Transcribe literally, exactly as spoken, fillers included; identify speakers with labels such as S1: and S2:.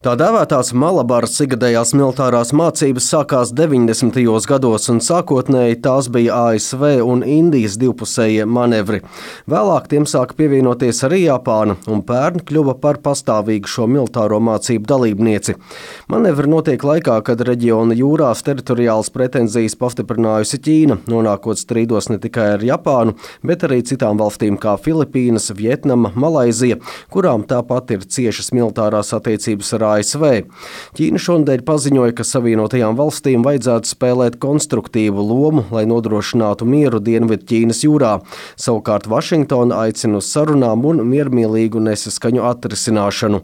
S1: Tā dēvētās Malabaras ikgadējās militārās mācības sākās deviņdesmitajos gados, un sākotnēji tās bija A S V un Indijas divpusējie manevri. Vēlāk tiem sāka pievienoties arī Japāna, un pērn kļuva par pastāvīgu šo militāro mācību dalībnieci. Manevri notiek laikā, kad reģiona jūrās teritoriālas pretenzijas pastiprinājusi Ķīna, nonākot strīdos ne tikai ar Japānu, bet arī citām valstīm kā Filipīnas, Vietnama, Malaizija, kurām tāpat ir ciešas militārās attiecības ar A S V. Ķīna šonadēļ paziņoja, ka Savienotajām valstīm vajadzētu spēlēt konstruktīvu lomu, lai nodrošinātu mieru Dienvidu Ķīnas jūrā. Savukārt Vašingtona aicina uz sarunām un miermīlīgu nesaskaņu atrisināšanu.